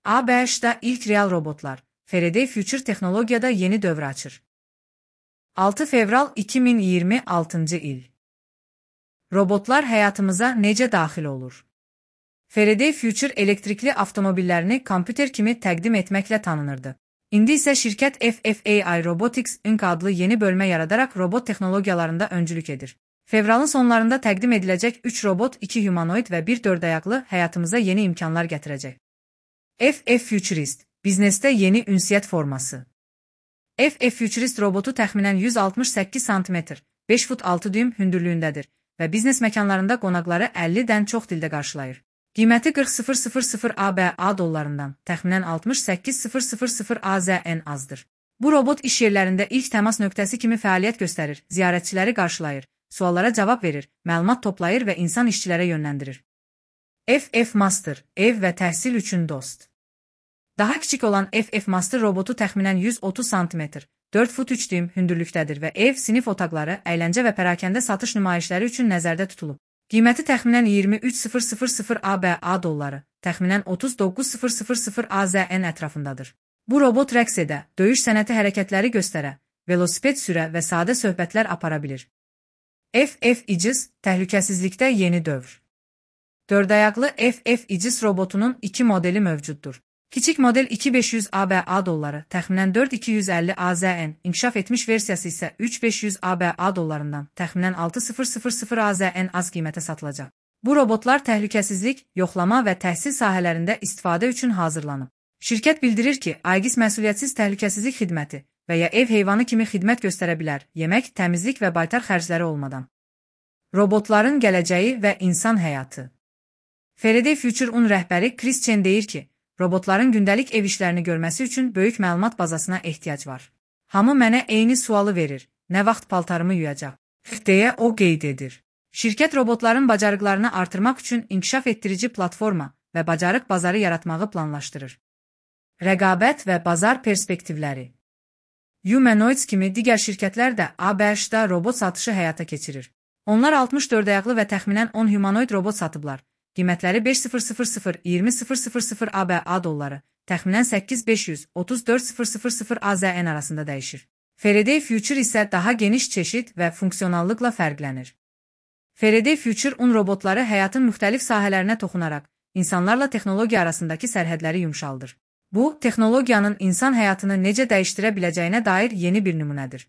ABŞ'da ilk real robotlar, Faraday Future Teknologiyada yeni dövr açır. 6 fevral 2026 il. Robotlar həyatımıza necə daxil olur? Faraday Future elektrikli avtomobillərini kompüter kimi təqdim etməklə tanınırdı. İndi isə şirkət FFAI Robotics Inc. adlı yeni bölmə yaradaraq robot texnologiyalarında öncülük edir. Fevralın sonlarında təqdim ediləcək 3 robot, 2 humanoid və 1 dördayaqlı həyatımıza yeni imkanlar gətirəcək. FF Futurist, biznesdə yeni ünsiyyət forması. FF Futurist robotu təxminən 168 cm, 5 fut 6 düym hündürlüyündədir və biznes məkanlarında qonaqları 50-dən çox dildə qarşılayır. Qiyməti 40.000 ABA dollarından, təxminən 68.000 AZN azdır. Bu robot iş yerlərində ilk təmas nöqtəsi kimi fəaliyyət göstərir, ziyarətçiləri qarşılayır, suallara cavab verir, məlumat toplayır və insan işçilərə yönləndirir. FF Master, ev və təhsil üçün dost. Daha kiçik olan FF Master robotu təxminən 130 cm, 4 fut 3 düym hündürlükdədir və ev, sinif otaqları, əyləncə və pərakəndə satış nümayişləri üçün nəzərdə tutulub. Qiyməti təxminən 23.000 ABA dolları, təxminən 39.000 AZN ətrafındadır. Bu robot rəqs edə, döyüş sənəti hərəkətləri göstərə, velosiped sürə və sadə söhbətlər apara bilir. FF İcis, təhlükəsizlikdə yeni dövr. Dördayaqlı FF İcis robotunun 2 modeli mövcuddur. Kiçik model 2500 ABA dolları, təxminən 4250 AZN, inkişaf etmiş versiyası isə 3500 ABA dollarından, təxminən 6000 AZN az qiymətə satılacaq. Bu robotlar təhlükəsizlik, yoxlama və təhsil sahələrində istifadə üçün hazırlanıb. Şirkət bildirir ki, Aegis məsuliyyətsiz təhlükəsizlik xidməti və ya ev heyvanı kimi xidmət göstərə bilər, yemək, təmizlik və baytar xərcləri olmadan. Robotların gələcəyi və insan həyatı. Faraday Future Un rəhbəri Chris Chen deyir ki, robotların gündəlik ev işlərini görməsi üçün böyük məlumat bazasına ehtiyac var. Hamı mənə eyni sualı verir, nə vaxt paltarımı yuyacaq, deyə o qeyd edir. Şirkət robotların bacarıqlarını artırmaq üçün inkişaf etdirici platforma və bacarıq bazarı yaratmağı planlaşdırır. Rəqabət və bazar perspektivləri. Humanoids kimi digər şirkətlər də ABŞ-da robot satışı həyata keçirir. Onlar 64 ayaqlı və təxminən 10 humanoid robot satıblar. Qiymətləri 5.000-20.000 ABA dolları, təxminən 8.500-34.000 AZN arasında dəyişir. Faraday Future isə daha geniş çeşid və funksionallıqla fərqlənir. Faraday Future Un robotları həyatın müxtəlif sahələrinə toxunaraq, insanlarla texnologiya arasındakı sərhədləri yumşaldır. Bu, texnologiyanın insan həyatını necə dəyişdirə biləcəyinə dair yeni bir nümunədir.